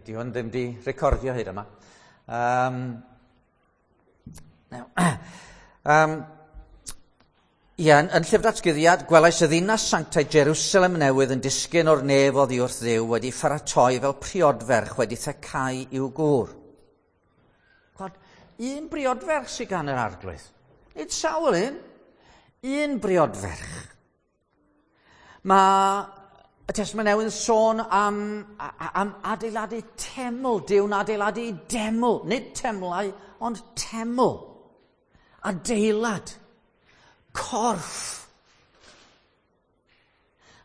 Di hwn ddim di recordio hyd yma. Now, ie, yn Llyfr Datguddiad, gwelais y ddinas sanctaidd Jerusalem newydd yn disgyn o'r nef oddi wrth Dduw wedi pharatoi fel priodferch wedi thecau i'w gŵr. Gwad, un briodferch sydd gan yr Arglwydd. Nid sawl un, un briodferch. Mae y Testament Newydd yn sôn am adeiladu teml. Duw'n adeiladu deml. Nid temlau, ond teml. Adeilad. Corff.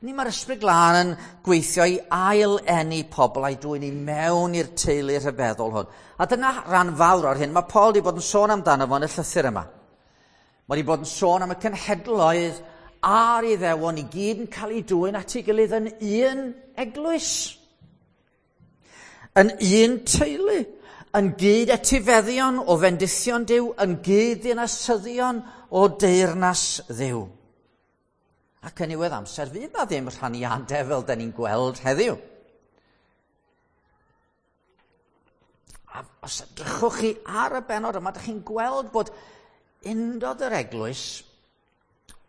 Ni mae'r Ysbryd Glân yn gweithio i ail-eni pobl a'i dwyn i mewn i'r teulu rhyfeddol hwn. A dyna ran fawr o'r hyn mae Paul wedi bod yn sôn amdano fo yn y llythyr yma. Mae wedi bod yn sôn am y cenhedloedd a'r Iddewon i gyd yn cael eu dwyn at ei gilydd yn un eglwys, yn un teulu, yn gyd etifeddion o fendithion Duw, yn gyd ddinasyddion o deyrnas Dduw. Ac yn niwedd amser, fydd na ddim rhaniadau fel da ni'n gweld heddiw. A os edrychwch chi ar y bennod yma, ydych chi'n gweld bod undod yr eglwys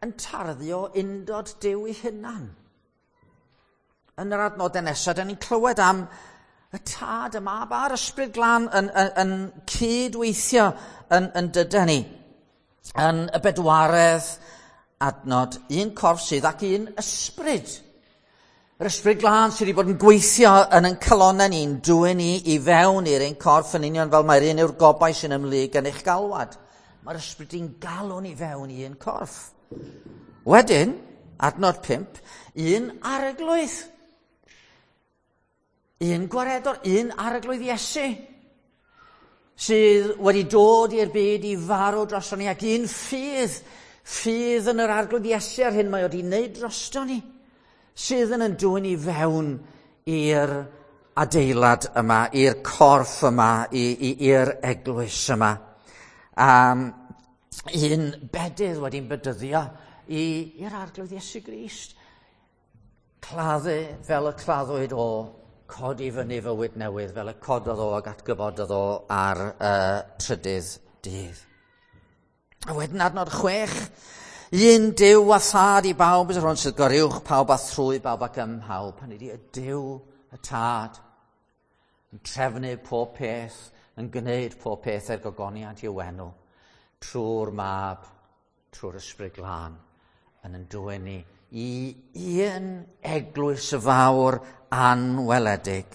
yn tarddu o undod Duw ei hunan. Yn yr adnodau nesaf, da ni'n clywed am y Tad, y Mab a'r Ysbryd Glân yn cydweithio yn dyda ni. Yn y bedwaredd adnod, un corff sydd ac un ysbryd. Yr Ysbryd Glân sydd wedi bod yn gweithio yn ein calonnau ni'n dwyn ni i fewn i'r ein corff yn union fel mae'r un yw'r gobaith sy'n ymhlyg yn eich galwad. Mae'r ysbryd i'n galw ni fewn i un corff. Wedyn, adnod 5, un arglwydd. Un gwaredwr, un arglwydd Iesu, sydd wedi dod i'r byd i farw drosto ni, ac un ffydd, ffydd yn yr arglwydd Iesu ar hyn mae wedi wneud drosto ni, sydd yn dwyn i fewn i'r adeilad yma, i'r corff yma, i'r eglwys yma. Un bedydd wedi'n bedyddio i'r arglwydd Iesu Grist. Claddu fel y claddwyd o, codi fyny fywyd newydd fel y cododd o ac atgyfododd o ar trydydd dydd. A wedyn adnod 6, un Duw a Thad i bawb, yr hwn sydd goruwch pawb a thrwy bawb ac ym mhawb. Hynny ydi, y Duw, y Tad, yn trefnu pob peth, yn gwneud pob peth er gogoniant i'w enw, trwy'r Mab, trwy'r Ysbryd Glân, yn dwyn ni i un eglwys fawr anweledig.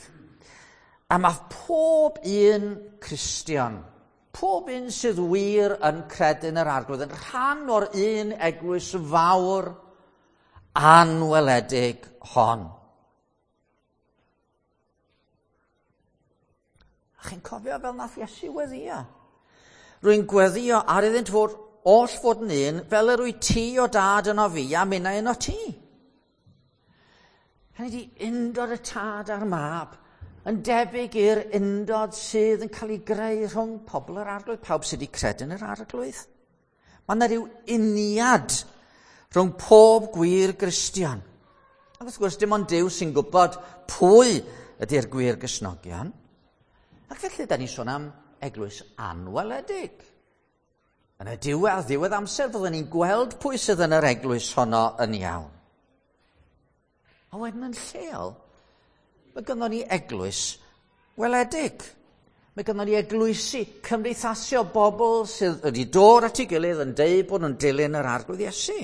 A mae pob un Cristion, pob un sydd wir yn credu yn yr Arglwydd, yn rhan o'r un eglwys fawr anweledig hon. A chi'n cofio fel nath Iesu weddio? Rwy'n gweddio ar iddynt fod oll fod yn un, fel yr wyt ti o Dad yno fi a minnau yno ti. Hynny ydi, undod y Tad a'r Mab yn debyg i'r undod sydd yn cael ei greu rhwng pobl yr Arglwydd, pawb sydd wedi credu yn yr Arglwydd. Mae yna rhyw uniad rhwng pob gwir Gristion. Ac wrth gwrs, dim ond Duw sy'n gwybod pwy ydy'r gwir Gristnogion. Ac felly, da ni'n sôn am eglwys anweledig. Yn y diwedd, ddiwedd amser, fyddwn ni'n gweld pwy sydd yn yr eglwys honno yn iawn. A wedyn yn lleol, mae gynnon ni eglwys weledig. Mae gynnon ni eglwysi, cymdeithasi o bobl sydd wedi dod at ei gilydd yn deud bod nhw'n dilyn yr Arglwydd Iesu.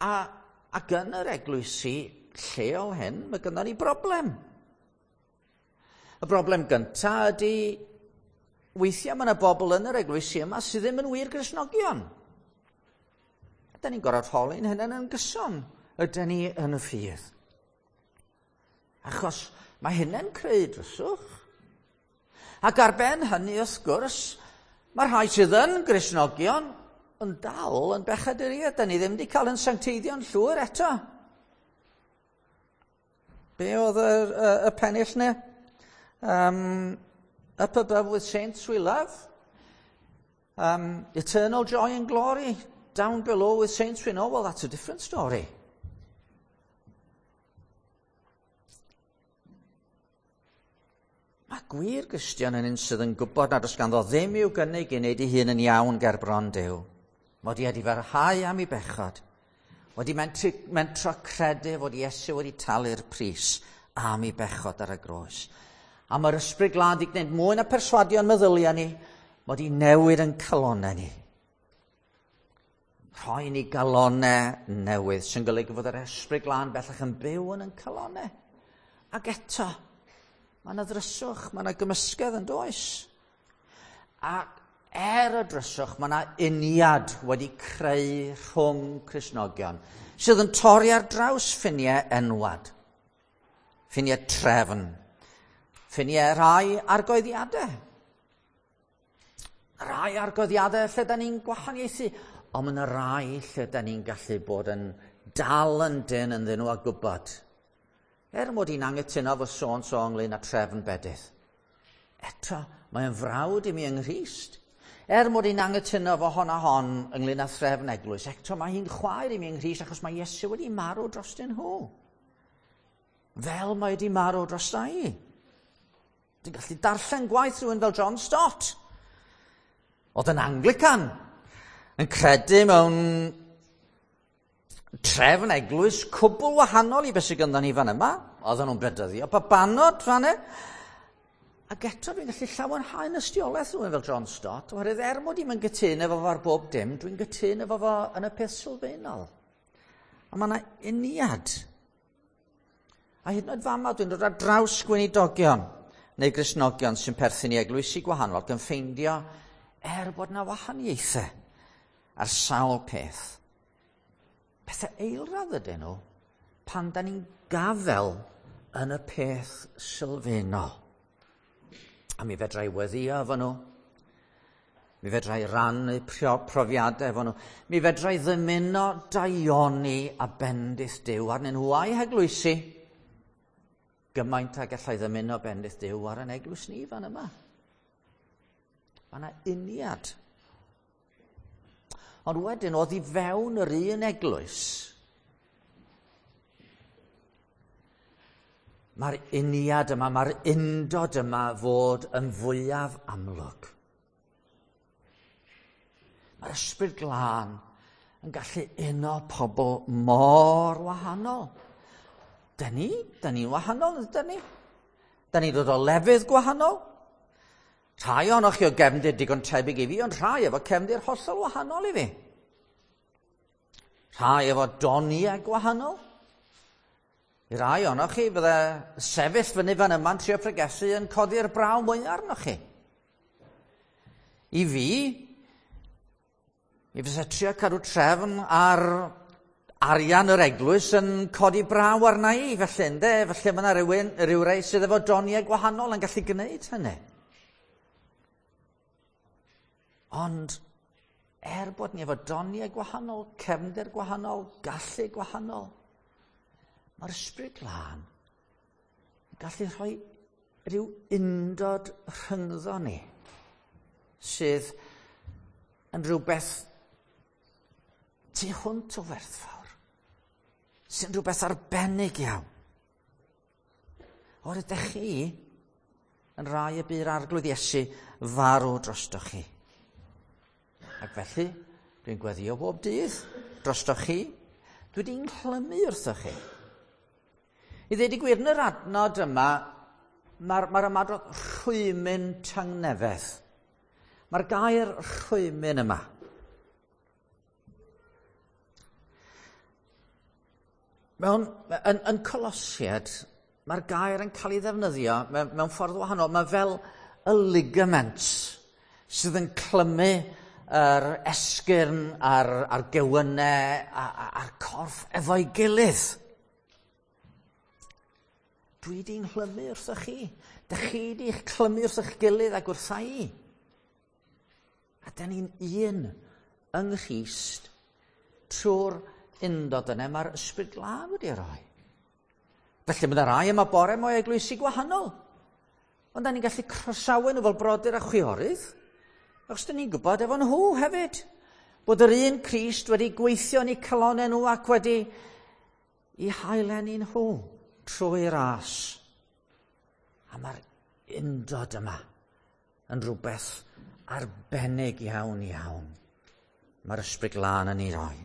Ac yn yr eglwysi lleol hyn, mae gynnon ni broblem. Y broblem gyntaf ydy, weithiau mae yna bobl yn yr eglwysi yma sydd ddim yn wir Gristnogion. Ydy ni'n gorfod holi'n hynny'n yn gyson, ydyn ni yn y ffydd. Achos mae hynny'n creu dryswch. Ac ar ben hynny, wrth gwrs, mae rhai sydd yn Gristnogion yn dal yn bechaduriaid. Da ni ddim wedi cael yn sancteiddio'n llwyr eto. Be oedd y pennill ne? Up above with saints we love. Eternal joy and glory. Down below with saints we know. Well, that's a different story. Mae gwir Gristion yn un sydd yn gwybod nad oes ganddo ddim i'w gynnig i wneud ei hun yn iawn ger bron Duw. Mod i wedi farhau am ei bechod. Wedi mentro credu fod Iesu wedi talu'r pris am ei bechod ar y groes. A mae'r Ysbryd Glân wedi gwneud mwy na perswadio'n meddyliau ni, mod i newid yn calonau ni. Rhoi ni galonau newydd sy'n golygu fod yr Ysbryd Glân bellach yn byw yn ein calonau. Ac eto, mae yna ddryswch, mae yna gymysgedd yn does. Ac er y dryswch, mae yna uniad wedi creu rhwng Cristnogion sydd yn torri ar draws ffiniau enwad, ffiniau trefn, ffiniau rhai argoeddiadau. Rhai argoeddiadau lle da ni'n gwahaniaethu, ond mae yna rai lle da ni'n gallu bod yn dal yn dyn ynddyn nhw a gwybod. Er mod i'n anghytuno fo so-and-so ynglyn â trefn bedydd. Eto, mae'n frawd i mi yng Nghrist. Er mod i'n anghytuno fo hon a hon ynglyn â threfn eglwys, eto mae hi'n chwaer i mi yng Nghrist achos mae Iesu wedi marw drostyn nhw. Fel mae wedi marw drosta i. Dwi'n gallu darllen gwaith rhywun fel John Stott. Oedd yn Anglican, yn credu mewn trefn eglwys cwbl wahanol i beth sydd gynddon ni fan yma. Oedden nhw'n bedyddio babanod fan yna. Ac eto dwi'n gallu llawenhau yn ystiolaeth rhywun fel John Stott, oherwydd er mod i'm yn gytun efo fo ar bob dim, dwi'n gytun efo fo yn y peth sylfaenol. A mae yna uniad. A hyd yn oed fama dwi'n dod ar draws gweinidogion neu Gristnogion sy'n perthyn i eglwysi gwahanol ac yn ffeindio er bod yna wahaniaethau ar sawl peth. Pethau eilradd ydyn nhw pan da ni'n gafel yn y peth sylfaenol. A mi fedra i weddio efo nhw. Mi fedra i rannu profiadau efo nhw. Mi fedra i ddymuno daioni a bendith Duw arnyn nhw a'i heglwysi. Gymaint ag allai ddymuno bendith Duw ar yn eglwys ni fan yma. Mae yna uniad. Ond wedyn, oedd i fewn yr un eglwys, mae'r uniad yma, mae'r undod yma fod yn fwyaf amlwg. Mae'r Ysbryd Glân yn gallu uno pobl mor wahanol. Da ni'n wahanol, ydyn ni? Da ni'n dod o lefydd gwahanol. Rhai ohonoch chi o gefndir digon tebyg i fi, ond rhai efo cefndir hollol wahanol i fi. Rhai efo doniau gwahanol. I rai ohonoch chi fydde sefyll fyny fan yma'n trio pregethu yn codi'r braw mwyaf arnoch chi. I fi, mi fysa trio cadw trefn ar arian yr eglwys yn codi braw arna i, felly ynde, felly mae yna rhywun, rhywrai sydd efo doniau gwahanol yn gallu gwneud hynny. Ond er bod ni efo doniau gwahanol, cefndir gwahanol, gallu gwahanol, mae'r Ysbryd Glân yn gallu rhoi rhyw undod rhyngddo ni sydd yn rhywbeth tu hwnt o werthfawr, sy'n rhywbeth arbennig iawn. O'r ydych chi yn rai y bu'r Arglwydd Iesu farw drostoch chi. Ac felly, dwi'n gweddio bob dydd drostoch chi. Dwi wedi'n nghlymu wrthoch chi. I ddweud y gwir, yn yr adnod yma, mae'r ymadrodd rhwymyn tangnefedd. Mae'r gair rhwymyn yma. Yn Colosiaid, mae'r gair yn cael ei ddefnyddio mewn ffordd wahanol. Mae fel y ligament sydd yn clymu yr esgyrn a'r gewynnau a'r corff efo'i gilydd. Dwi di'n nghlymu wrthoch chi. Dych chi di'ch clymu wrth eich gilydd ac wrtha i. A da ni'n un yng Nghrist trwy'r undod yna mae'r Ysbryd Glân wedi rhoi. Felly mae yna rai yma bore mwy eglwysi gwahanol. Ond da ni'n gallu croesawu nhw fel brodyr a chwiorydd. Achos da ni'n gwybod efo nhw hefyd bod yr un Crist wedi gweithio yn eu calonnau nhw ac wedi i haeleni nhw trwy ras. A mae'r undod yma yn rhywbeth arbennig iawn iawn. Mae'r Ysbryd Glân yn ei roi.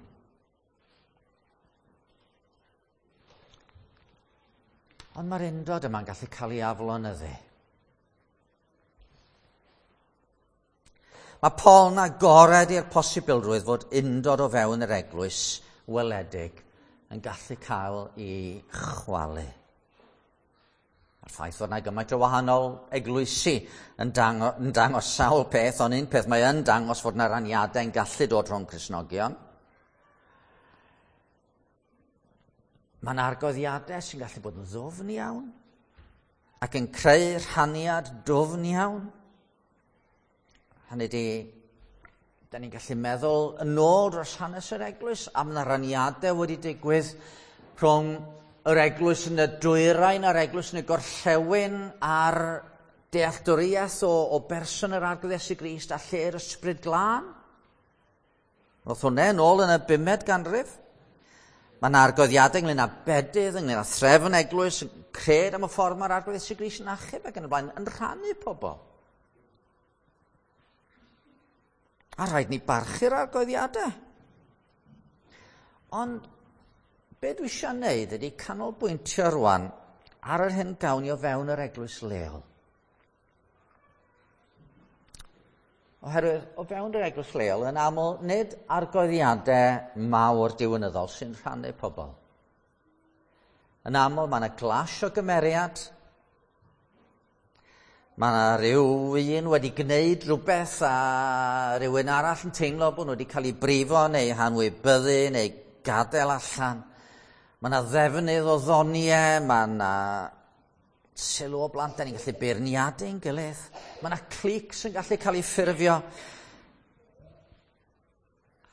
Ond mae'r undod yma'n gallu cael ei aflonyddu. Mae Paul yn agored i'r posibilrwydd fod undod o fewn yr eglwys weledig yn gallu cael ei chwalu. Mae'r ffaith fod yna gymaint o wahanol eglwysi yn dangos sawl peth, ond un peth mae yn dangos fod yna raniadau yn gallu dod rhwng Cristnogion. Mae'n argoddiadau sy'n gallu bod yn ddwfn iawn ac yn creu rhaniad dwfn iawn. Hynny ydi, da ni'n gallu meddwl yn ôl dros hanes yr eglwys am na raniadau wedi digwydd rhwng yr eglwys yn y dwyrain a'r eglwys yn y gorllewin a'r dealltwriaeth o berson yr Arglwydd Iesu Grist a lle'r Ysbryd Glân. Roedd hwnna yn ôl yn y 5med ganrif. Mae yna argoddiadau ynglyn â bedydd, ynglyn â threfn eglwys, cred am y ffordd mae'r Arglwydd Iesu Grist yn achub ac yn y blaen, yn rhannu pobl. A rhaid ni barchu'r argoddiadau. Ond be dwi eisiau wneud ydy canolbwyntio rwan ar yr hyn gawn ni o fewn yr eglwys leol. Oherwydd o fewn yr eglwys leol yn aml nid argoddiadau mawr diwynyddol sy'n rhannu pobl. Yn aml mae yna clash o gymeriad. Mae yna rhyw un wedi gwneud rhywbeth a rhywun arall yn teimlo bod nhw wedi cael eu brifo neu hanwybyddu neu gadael allan. Mae yna ddefnydd o ddoniau, mae yna sylw o blant, da ni'n gallu beirniadu'n gilydd. Mae yna clics yn gallu cael eu ffurfio.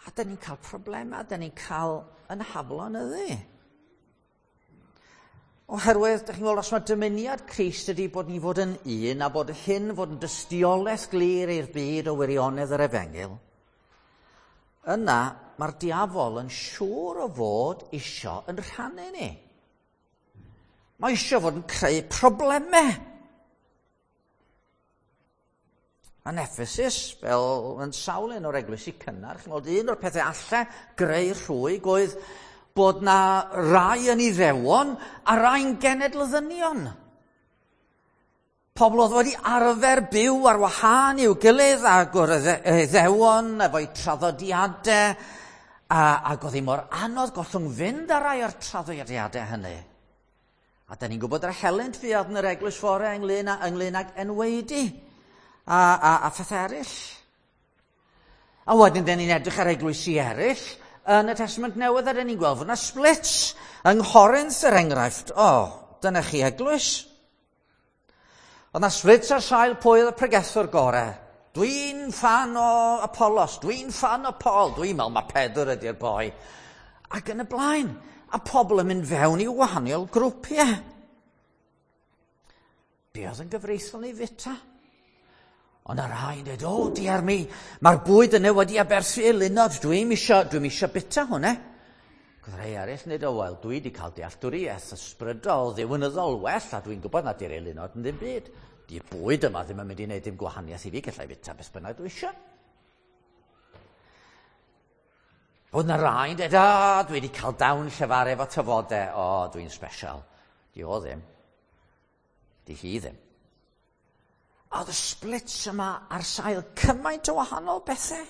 A da ni'n cael problemau, da ni'n cael yn haflonyddu. Oherwydd, da chi'n gweld, os mae dymuniad Crist ydy bod ni fod yn un a bod hyn fod yn dystiolaeth glir i'r byd o wirionedd yr efengyl, yna mae'r diafol yn siŵr o fod isio yn rhannu ni. Mae isio fod yn creu problemau. Yn Ephesus, fel yn sawl un o'r eglwysi cynnar, chi'n gweld un o'r pethau allai greu rhwyg oedd bod na rai yn Iddewon a rai'n genedl-ddynion. Pobl oedd wedi arfer byw ar wahân i'w gilydd ac o'r Iddewon efo'u traddodiadau ac oedd hi mor anodd gollwng fynd ar rai o'r traddodiadau hynny. A da ni'n gwybod yr helynt fuodd yn yr eglwys fore ynglyn ag enweidi a phethau eraill. A wedyn da ni'n edrych ar eglwysi eraill yn y Testament Newydd a da ni'n gweld fod yna splits yng Nghorinth er enghraifft. O, dyna chi eglwys. Oedd yna splits ar sail pwy oedd y pregethwr gorau. Dwi'n ffan o Apollos, dwi'n ffan o Paul, dwi'n meddwl mae Pedr ydy'r boi. Ac yn y blaen, a pobl yn mynd fewn i wahanol grwpiau. Be oedd yn gyfreithlon i fita? Ond y rhai'n dweud, o, diar mi, mae'r bwyd yna wedi aberthu eilunod, dwi'm isio bita hwnna. Ac oedd rhai eraill yn dweud, o, wel, dwi wedi cael dealltwriaeth ysbrydol, ddiwynyddol well, a dwi'n gwybod nad yw'r eilunod yn ddim byd. Di'r bwyd yma ddim yn mynd i wneud dim gwahaniaeth i fi, gallai fita beth bynnag dwi eisiau. Oedd na rhai'n dweud, o, dwi wedi cael dawn llefaru efo tafodau, o, dwi'n special. Di o ddim. Di hi ddim. A oedd y splits yma ar sail cymaint o wahanol bethau.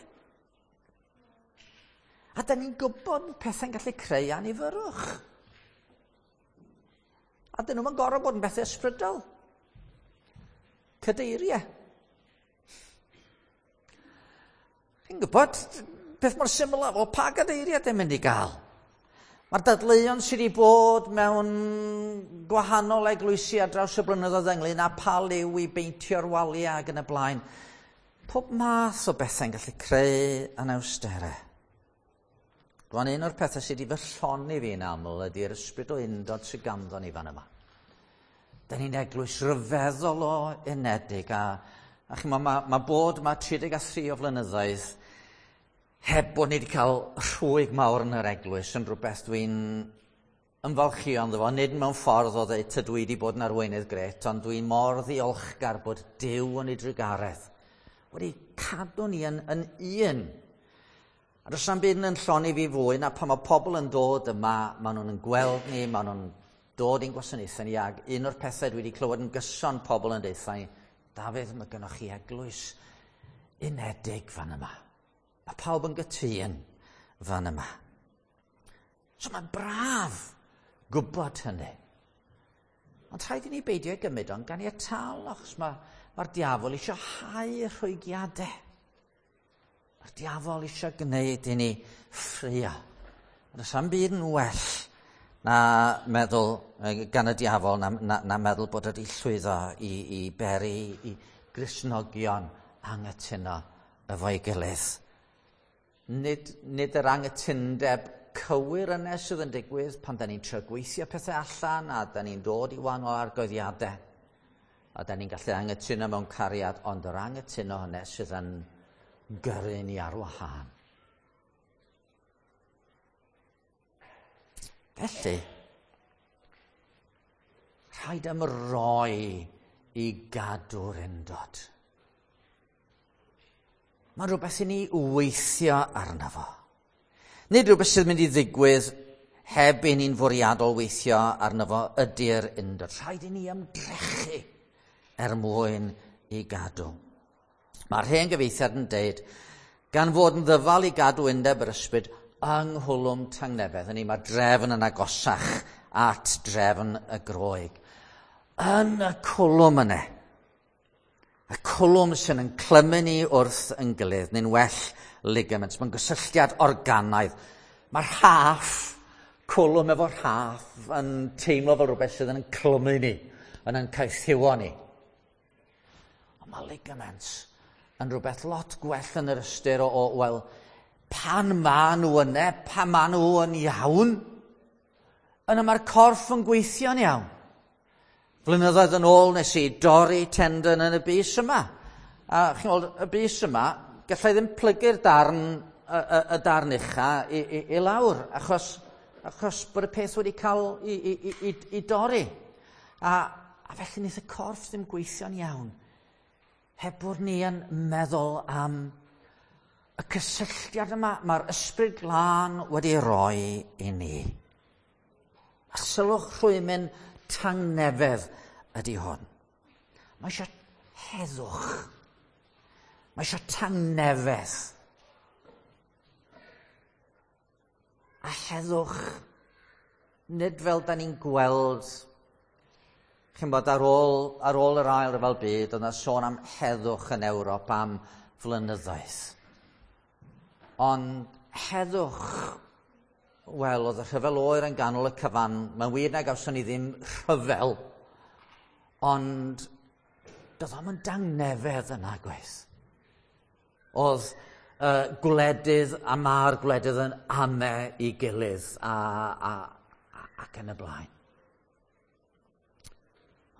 A da ni'n gwybod bod pethau'n gallu creu anifyrwch. A dyn nhw'n gorfod bod yn bethau ysbrydol. Cadeiriau. Chi'n gwybod, peth mor syml o pa gadeiriau dyn mynd i gael. Mae'r dadleuon sydd wedi bod mewn gwahanol eglwysi ar draws y blynyddoedd ynglyn â pa liw i beintio'r waliau ac yn y blaen. Pob math o bethau'n gallu creu anawsterau. Rwan, un o'r pethau sydd wedi fy llonni fi'n aml ydy'r ysbryd o undod sydd ganddo ni fan yma. Da ni'n eglwys ryfeddol o unedig a chi'n meddwl, mae bod yma 33 o flynyddoedd heb bod ni wedi cael rhwyg mawr yn yr eglwys yn rhywbeth dwi'n ymfalchio ynddo fo, nid mewn ffordd o ddeud tydw i wedi bod yn arweinydd gret, ond dwi'n mor ddiolchgar bod Duw yn ei drugaredd wedi cadw ni yn un. A does na'm byd yn llonni fi fwy na pan mae pobl yn dod yma, maen nhw'n gweld ni, maen nhw'n dod i'n gwasanaethau ni, ac un o'r pethau dwi wedi clywed yn gyson pobl yn deutha i, Dafydd, mae gennych chi eglwys unedig fan yma. Mae pawb yn gytûn fan yma. So mae'n braf gwybod hynny. Ond rhaid i ni beidio gymryd o'n ganiataol, achos mae'r diafol eisiau hau rhwygiadau. Mae'r diafol eisiau gwneud i ni ffrio. Ond oes am byd yn well na meddwl gan y diafol, na meddwl bod wedi llwyddo i beri i Gristnogion anghytuno efo'i gilydd. Nid yr anghytundeb cywir yna sydd yn digwydd pan da ni'n trio gweithio pethau allan a da ni'n dod i wahanol argoeddiadau. A da ni'n gallu anghytuno mewn cariad, ond yr anghytuno hynny sydd yn gyrru ni ar wahân. Felly, rhaid ymroi i gadw'r undod. Mae'n rhywbeth i ni weithio arno fo. Nid rhywbeth sydd yn mynd i ddigwydd heb i ni'n fwriadol weithio arno fo ydy'r undod. Rhaid i ni ymdrechu er mwyn i gadw. Mae'r hen gyfieithiad yn deud, gan fod yn ddyfal i gadw undeb yr ysbryd yng nghwlwm tangnefedd. Hynny, mae drefn yn agosach at drefn y Groeg. Yn y cwlwm yna, y cwlwm sy'n yn clymu ni wrth yn gilydd, neu'n well ligaments, mae'n gysylltiad organaidd. Mae'r rhaff, cwlwm efo rhaff, yn teimlo fel rhywbeth sydd yn clymu ni, yn caethiwo ni. Ond mae ligaments yn rhywbeth lot gwell yn yr ystyr o wel, pan ma nhw yna, pan ma nhw yn iawn, yna mae'r corff yn gweithio'n iawn. Flynyddoedd yn ôl nes i dorri tendon yn y bys yma. A chi'n gweld, y bys yma, gallai ddim plygu'r darn, y darn ucha i lawr, achos bod y peth wedi cael i dorri. A felly wnaeth y corff ddim gweithio'n iawn. Heb bod ni yn meddwl am y cysylltiad yma mae'r ysbryd glân wedi roi i ni. A sylwch rhwymyn tangnefedd ydy hwn. Mae eisiau heddwch. Mae eisiau tangnefedd. A heddwch, nid fel da ni'n gweld, chi'n bod ar ôl yr ail ryfel byd, oedd yna sôn am heddwch yn Ewrop am flynyddoedd. Ond heddwch, wel, oedd y rhyfel oer yn ganol y cyfan. Mae'n wir na gawson ni ddim rhyfel, ond doedd o'm yn dangnefedd yna, gwaith. Oedd gwledydd a ma'r gwledydd yn ame i gilydd ac yn y blaen.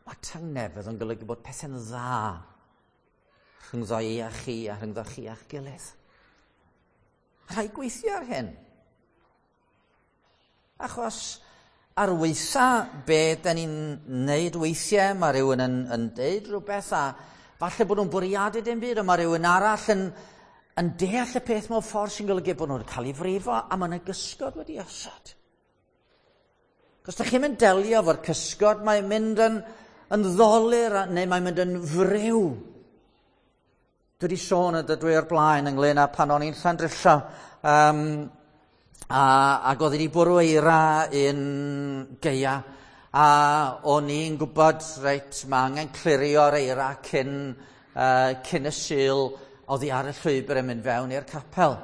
Mae tangnefedd yn golygu bod pethau'n dda rhyngddo i a chi a rhyngddo chi a'ch gilydd. Rhaid gweithio ar hyn. Achos ar weitha be da ni'n neud weithiau, mae rhywun yn deud rhywbeth a falle bod nhw'n bwriadu dim byd, ond mae rhywun arall yn deall y peth mewn ffordd sy'n golygu bod nhw'n cael ei frifo a mae yna gysgod wedi osod. Cos da chi'n mynd delio efo'r cysgod, mae'n mynd yn ddolur neu mae'n mynd yn friw. Dwi wedi sôn y dydw i o'r blaen ynglyn â pan o'n i'n Llandrillo, ac oedd wedi bwrw eira un gaea, a o'n i'n gwybod, reit, mae angen clirio'r eira cyn y Sul oddi ar y llwybr yn mynd fewn i'r capel.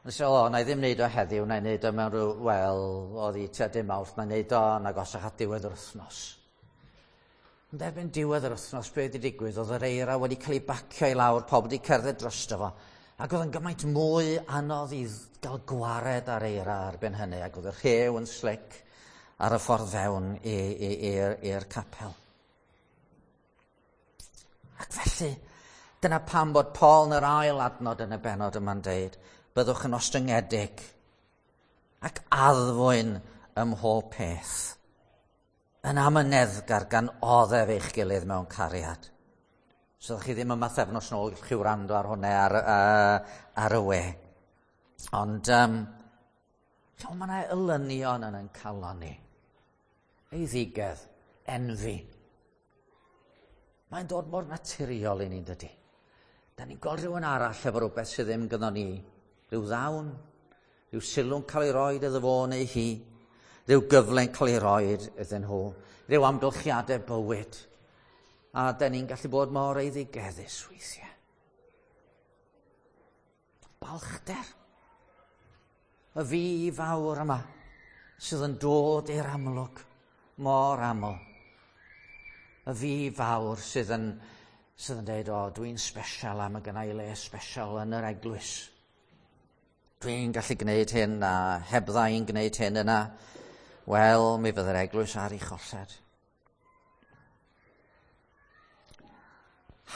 Nes i, na i ddim wneud o heddiw, na i wneud o mewn rhyw, wel, oedd hi tua dim Mawrth, na i wneud o yn agosach at diwedd yr wythnos. Ond erbyn diwedd yr wythnos, be wedi digwydd, oedd yr eira wedi cael ei bacio i lawr, pawb wedi cerdded drosto fo, ac oedd yn gymaint mwy anodd i gael gwared ar eira erbyn hynny, ac oedd y rhew yn slic ar y ffordd fewn i'r capel. Ac felly, dyna pam bod Paul yn yr ail adnod yn y bennod yma'n deud, byddwch yn ostyngedig ac addfwyn ym mhob peth. Yn amyneddgar gan oddef eich gilydd mewn cariad. So ydych chi ddim yma thefnos nôl, gallwch chi wrando ar hwnna ar y we. Ond mae yna elynion yn ein calon ni. Eiddigedd, enfi. Mae'n dod mor naturiol i ni'n dydy. Da ni'n gweld rhywun arall efo rhywbeth sydd ddim gynnon ni. Rhyw ddawn, rhyw sylw'n cael ei roed iddo fo neu hi, rhyw gyfle'n cael ei roed iddyn nhw, rhyw amgylchiadau bywyd. A da ni'n gallu bod mor eiddigeddus weithiau. Balchder. Y fi fawr yma sydd yn dod i'r amlwg mor aml. Y fi fawr sydd yn dweud, o, dwi'n special a mae gynna i le special yn yr eglwys. Dwi'n gallu gwneud hyn a hebdda i'n gwneud hyn yna. Wel, mi fydde'r eglwys ar ei cholled.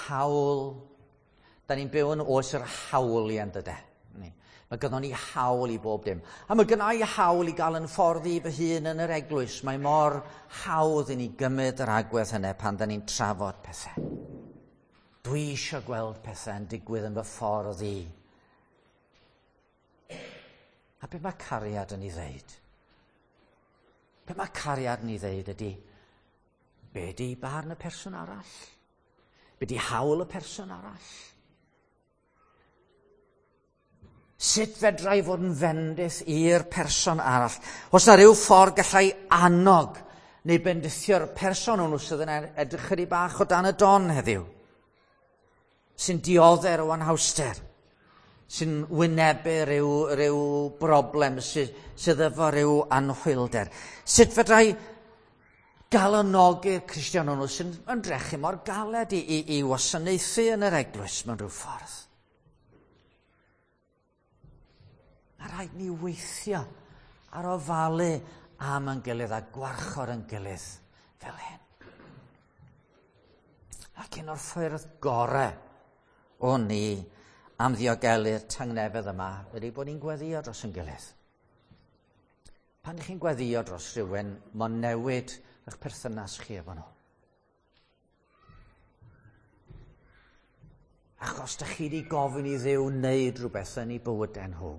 Hawl. Da ni'n byw yn oes yr hawliau, dyde. Mae gynnon ni hawl i bob dim. A mae gynna i hawl i gael yn ffordd i fy hun yn yr eglwys. Mae mor hawdd i ni gymryd yr agwedd hynny pan da ni'n trafod pethau. Dwi eisiau gweld pethau yn digwydd yn fy ffordd i. A be mae cariad yn ei ddeud? Be mae cariad yn ei ddeud ydy, be di barn y person arall? Be di hawl y person arall? Sut fedra i fod yn fendith i'r person arall? Os na rhyw ffordd gallai annog neu bendithio'r person hwnnw sydd yn edrych chydig bach o dan y don heddiw, sy'n dioddef o anhawster, sy'n wynebu rhyw broblem, sydd efo rhyw anhwylder. Sut fedra i galonogi'r Cristion hwnnw sy'n ymdrechu mor galed i wasanaethu yn yr eglwys mewn rhyw ffordd? Mae rhaid ni weithio ar ofalu am yn gilydd a gwarchod yn gilydd fel hyn. Ac un o'r ffyrdd gorau o ni am ddiogelu'r tangnefedd yma ydy bod ni'n gweddio dros yn gilydd. Pan ydych chi'n gweddio dros rhywun, mae'n newid eich perthynas chi efo nhw. Achos dych chi wedi gofyn i Dduw wneud rhywbeth yn eu bywydau nhw.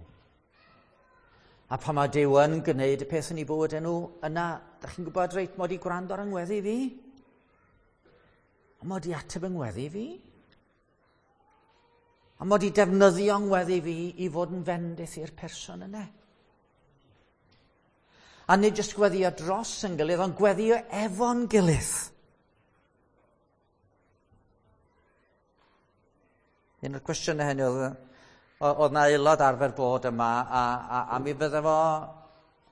A pan mae Duw yn gwneud y peth yn eu bywydau nhw, yna, dych chi'n gwybod reit, mod i gwrando ar yngweddi fi? A mod i ateb yngweddi fi? A mod i defnyddio yngweddi fi i fod yn fendith i'r person yna. A nid jyst gweddio dros yn gilydd, ond gweddio efo'n gilydd. Un o'r cwestiynau hynny oedd na aelod arfer bod yma, a mi fydde fo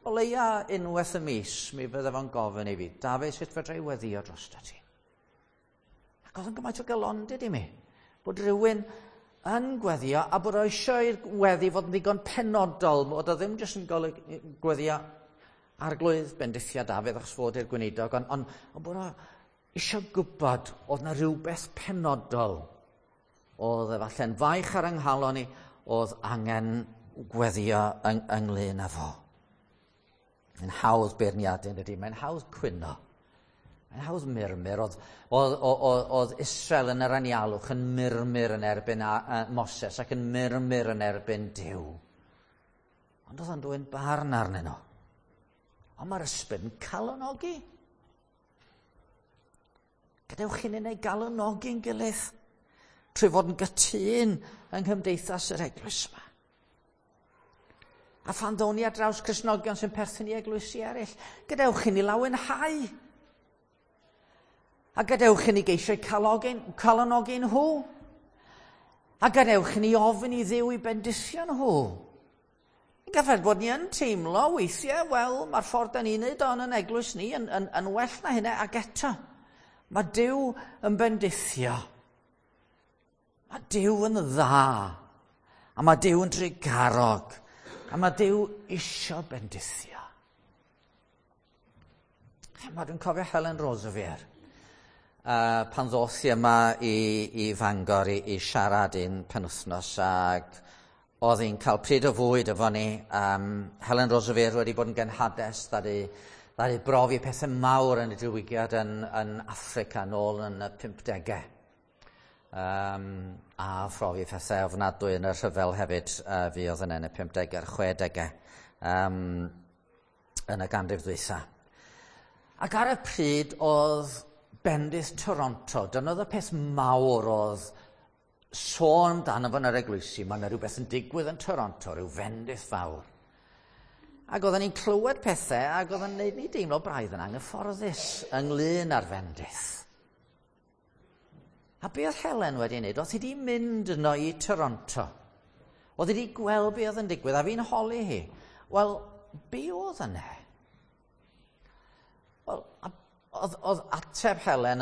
o leia unwaith y mis, mi fydde fo'n gofyn i fi, Dafydd, sut fedra i weddio drosto ti? Ac oedd yn gymaint o galondid i mi, bod rhywun yn gweddio a bod o eisiau i'r weddi fod yn ddigon penodol, bod o ddim jyst yn gweddio Arglwydd bendithia Dafydd achos fod i'r gweinidog, ond bod o eisiau gwybod oedd na rhywbeth penodol oedd efallai'n faich ar yng nghalon i, oedd angen gweddio ynglyn â fo. Mae'n hawdd beirniadu, ydy, mae'n hawdd cwyno. Mae'n hawdd murmur. Oedd Israel yn yr anialwch yn murmur yn erbyn Moses ac yn murmur yn erbyn Duw. Ond oedd o'n dwyn barn arnyn nhw. Ond mae'r ysbryd yn calonogi. Gadewch i ni wneud galonogi'n gilydd trwy fod yn gytûn yng nghymdeithas yr eglwys yma. A phan ddown ni ar draws Cristnogion sy'n perthyn i eglwysi eraill, gadewch i ni lawenhau. A gadewch i ni geisio calonogi nhw. A gadewch i ni ofyn i Dduw i bendithio nhw. Gallai bod ni yn teimlo weithiau, wel, mae'r ffordd da ni'n neud o'n yn eglwys ni yn well na hynna, ac eto, mae Duw yn bendithio. Mae Duw yn dda, a mae Duw yn drugarog, a mae Duw isio bendithio. Dwi'n cofio Helen Roseveare, pan ddoth i yma i Fangor i siarad un penwythnos, ac Oedd hi'n cael pryd o fwyd efo ni. Helen Roseveare wedi bod yn genhades, ddaru brofi pethau mawr yn y diwygiad yn Affrica nôl yn y 50au. A phrofi pethau ofnadwy yn y rhyfel hefyd, fuodd yna yn y 50au a'r 60au yn y ganrif ddwytha. Ac ar y pryd oedd bendith Toronto, dyna oedd y peth mawr oedd sôn amdano fo yn yr eglwysi, mae yna rhywbeth yn digwydd yn Toronto, rhyw fendith fawr. Ac oedden ni'n clywed pethau ac oedd yn gwneud ni deimlo braidd yn anghyfforddus ynglyn â'r fendith. A be oedd Helen wedi wneud? Oedd hi wedi mynd yno i Toronto. Oedd hi wedi gweld be oedd yn digwydd, a fi'n holi hi. Wel, be oedd yna? Wel, oedd ateb Helen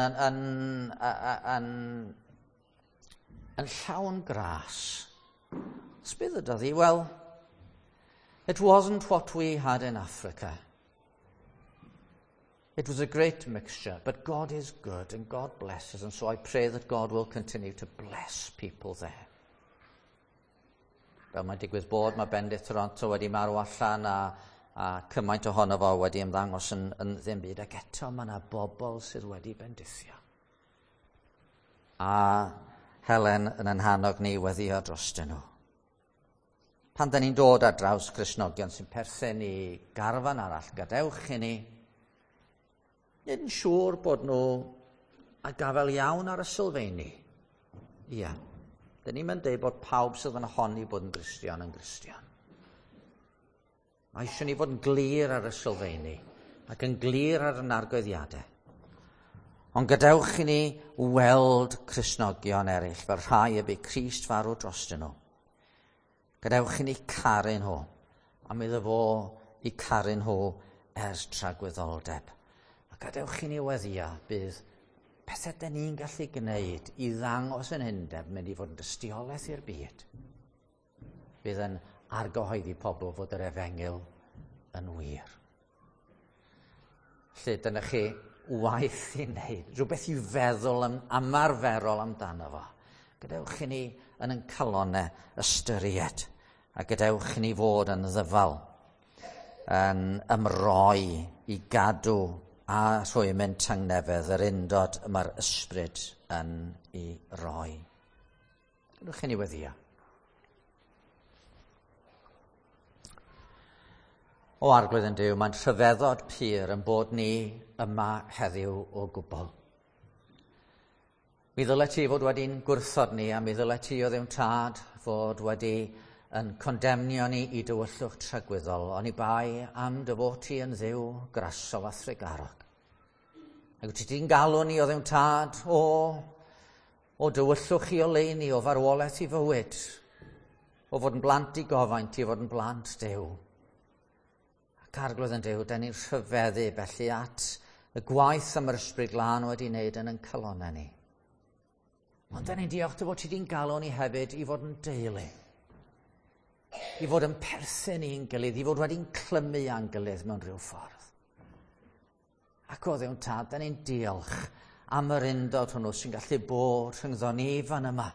yn llawn gras. Be ddydodd hi? "Well, it wasn't what we had in Africa. It was a great mixture, but God is good and God blesses, and so I pray that God will continue to bless people there." Fel mae'n digwydd bod, mae bendith Toronto wedi marw allan a cymaint ohono fo wedi ymddangos yn ddim byd, ac eto mae yna bobl sydd wedi bendithio. A Helen yn ein hannog ni weddio drostyn nhw. Pan da ni'n dod ar draws Cristnogion sy'n perthyn i garfan arall, gadewch i ni nid yn siŵr bod nhw a gafel iawn ar y sylfeini. Ia. Dyn ni'n mynd dweud bod pawb sydd yn honni bod yn Gristion yn Gristion. Mae eisiau ni fod yn glir ar y sylfeini ac yn glir ar y argyhoeddiadau. Ond gadewch i ni weld Cristnogion eraill fel rhai y bu Crist farw drostyn nhw. Gadewch i ni caru nhw, am iddo fo i caru nhw ers tragwyddoldeb. A gadewch i ni weddio bydd pethau dyn ni'n gallu gwneud i ddangos yn undeb mynd i fod yn dystiolaeth i'r byd. Bydd yn argyhoeddi pobl fod yr efengyl yn wir. Felly dyna chi waith i wneud, rhywbeth i feddwl am, ymarferol amdano fo. Gadewch i ni yn ein calonau ystyried a gadewch i ni fod yn ddyfal, yn ymroi i gadw a rhwymyn tangnefedd yr undod y mae'r ysbryd yn ei roi. Gadewch i ni weddio. O Arglwydd ein Duw, mae'n rhyfeddod pur yn bod ni yma heddiw o gwbl. Mi ddyle ti fod wedi'n gwrthod ni, a mi ddyle ti o Dduw Tad fod wedi yn condemnio ni i dywyllwch tragwyddol, oni bai am dy fod ti yn Dduw grasol a thrugarog. Ac wyt ti di'n galw ni o Dduw Tad o dywyllwch i oleuni, o farwolaeth i fywyd, o fod yn blant i gofaint i fod yn blant Duw. Ac Arglwydd ein Duw, da ni'n rhyfeddu felly at y gwaith am yr Ysbryd Glân wedi wneud yn ein calonnau ni. Ond da ni'n diolch dy fod ti di'n galw ni hefyd i fod yn deulu. I fod yn perthyn i'n gilydd, i fod wedi'n clymu â'n gilydd mewn rhyw ffordd. Ac o Dduw Tad, da ni'n diolch am yr undod hwnnw sy'n gallu bod rhyngddo ni fan yma.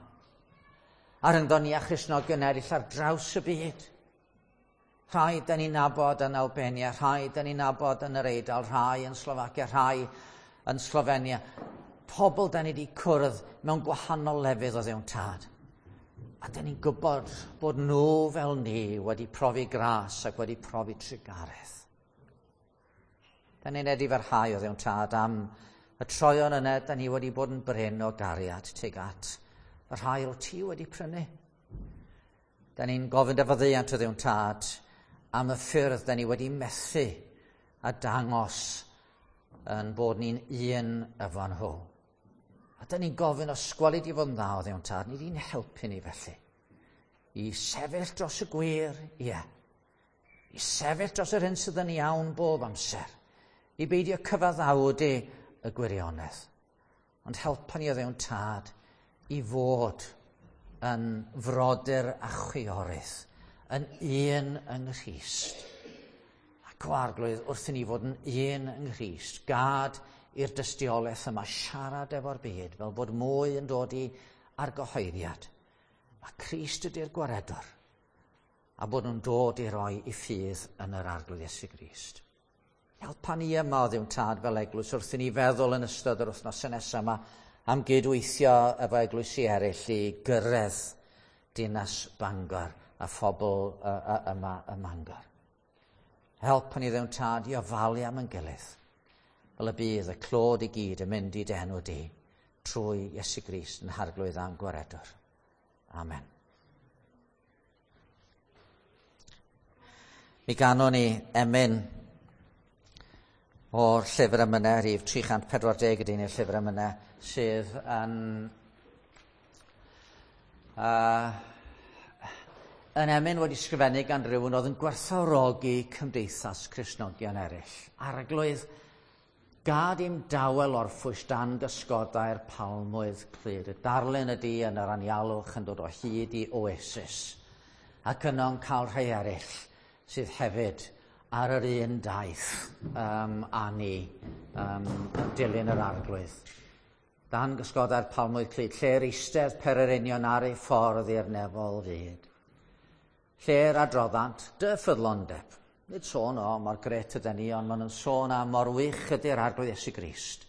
A rhyngddo ni a Christnogion eraill ar draws y byd. Rhai da ni'n nabod yn Albania, rhai da ni'n nabod yn yr Eidal, rhai yn Slofacia, rhai yn Slovenia. Pobl da ni wedi cwrdd mewn gwahanol lefydd o Dduw Tad. A da ni'n gwybod bod nhw fel ni wedi profi gras ac wedi profi trugaredd. Da ni'n edifarhau o Dduw Tad am y troion yna da ni wedi bod yn brin o gariad tuag at y rhai o ti wedi prynu. Da ni'n gofyn dy faddeuant o Dduw Tad am y ffyrdd da ni wedi methu a dangos yn bod ni'n un efo nhw. A da ni'n gofyn os gweli di fod yn dda o Dduw Tad, ni di'n helpu ni felly. I sefyll dros y gwir, ie. I sefyll dros yr hyn sydd yn iawn bob amser. I beidio cyfaddawdu y gwirionedd. Ond helpa ni o Dduw Tad i fod yn frodyr a chwiorydd, yn un yng Nghrist. Ac o Arglwydd, wrth i ni fod yn un yng Nghrist, gad i'r dystiolaeth yma siarad efo'r byd fel bod mwy yn dod i argyhoeddiad. Mae Crist ydy'r gwaredwr. A bod nhw'n dod i roi i ffydd yn yr Arglwydd Iesu Grist. Helpa ni yma o Dduw Tad fel eglwys wrth i ni feddwl yn ystod yr wythnosau nesaf yma am gydweithio efo eglwysi eraill i gyrraedd dinas Bangor a phobl yma ym Mangor. Helpa ni Dduw Tad i ofalu am ein gilydd, fel y bydd y clod i gyd yn mynd i dy enw di trwy Iesu Grist yn Harglwydd a'n Gwaredwr. Amen. Mi ganon ni emyn o'r llyfr emynau, rhif 340 ydy neu'r llyfr emynau, sydd yn yn emyn wedi sgrifennu gan rhywun oedd yn gwerthfawrogi cymdeithas Cristnogion eraill. Arglwydd, gad i'm dawel orffwys dan gysgodau'r palmwydd clyd. Y darlun ydy yn yr anialwch yn dod o hyd i oasis, ac yno'n cael rhai eraill sydd hefyd ar yr un daith â ni yn dilyn yr Arglwydd. Dan gysgodau'r palmwydd clyd, lle'r eistedd pererinion ar ei ffordd i'r nefol fyd. Lle'r adroddant dy ffyddlondeb. Nid sôn o mor gret ydyn ni, ond maen nhw'n sôn am mor wych ydy'r Arglwydd Iesu Grist.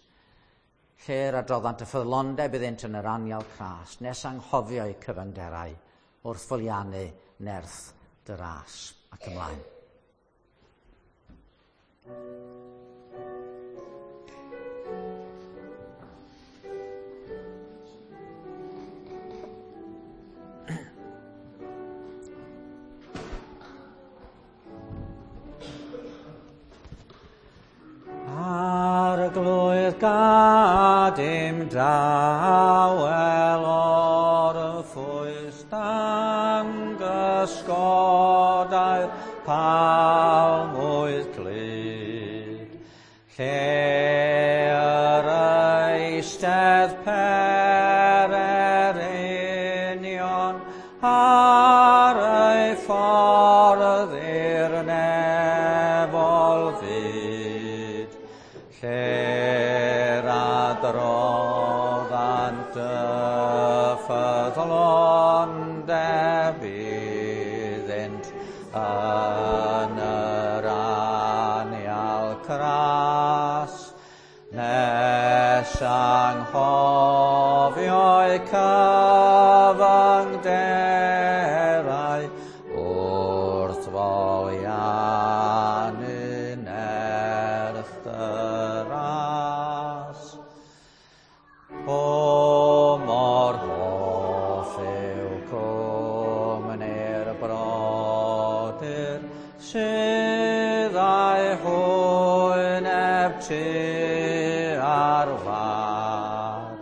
Lle'r adroddant y ffyddlondeb iddynt yn yr anial cras, nes anghofio eu cyfyngderau wrth foliannu nerth dy ras. Ac ymlaen. Arglwydd gad im dawel orffwys dan gysgodau'r palmwydd clyd, lle yr eistedd pererinion ar ei ffordd i'r nefol fyd, lle'r adroddant y ffyddlondeb iddynt yn yr anial cras, nes anghofio'u cyfyngderau wrth foliannu nerth dy ras. O mor hoff yw cwmni'r brodyr sydd â'i hwyneb tua'r wlad,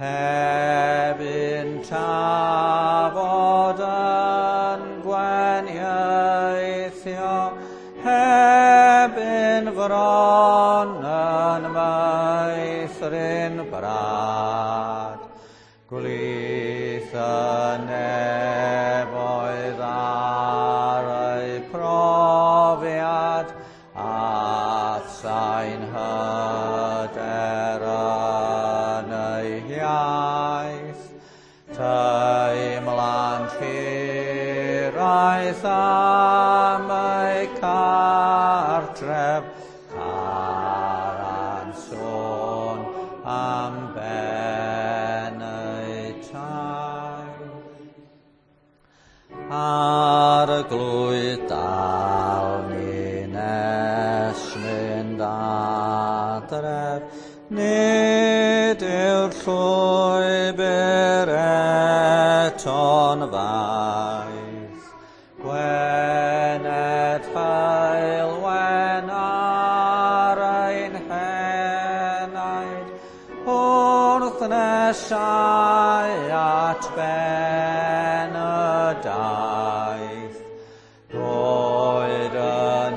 heb un tafod yn gwenieithio, heb un fron yn meithrin brad. Gwlith y nefoedd ar eu profiad, a sain hyder yn eu hiaith, teimlant hiraeth am eu cartref, carant sôn am ben eu taith. Arglwydd dal ni nes mynd adref, nid yw'r llwybr eto'n faith. Gwened heulwen ar ein henaid, wrth nesau at ben y daith. Goed y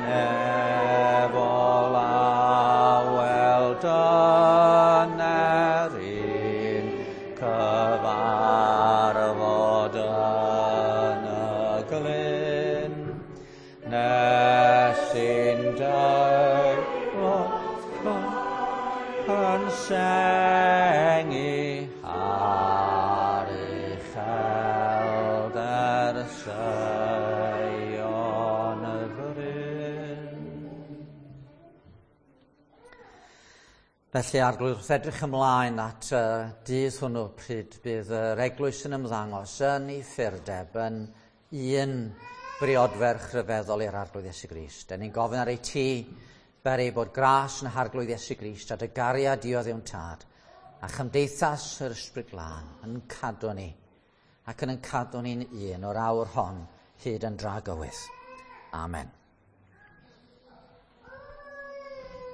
nefol awel dyner i'n cyfarfod yn y glyn, nes i'n deimlo yn sengi ar uchelder Seion. Felly, Arglwydd, wrth edrych ymlaen at dydd hwnnw pryd bydd yr eglwys yn ymddangos yn ei ffurdeb, yn un briodferch rhyfeddol i'r Arglwydd Iesu Grist. Dyn ni'n gofyn ar ei ti, fer ei bod gras yn Harglwydd Iesu Grist a dy gariad di o Dduw'n Tad, a chymdeithas yr Ysbryd Glân yn cadw ni, ac yn cadw ni'n un o'r awr hon hyd yn dragywydd. Amen.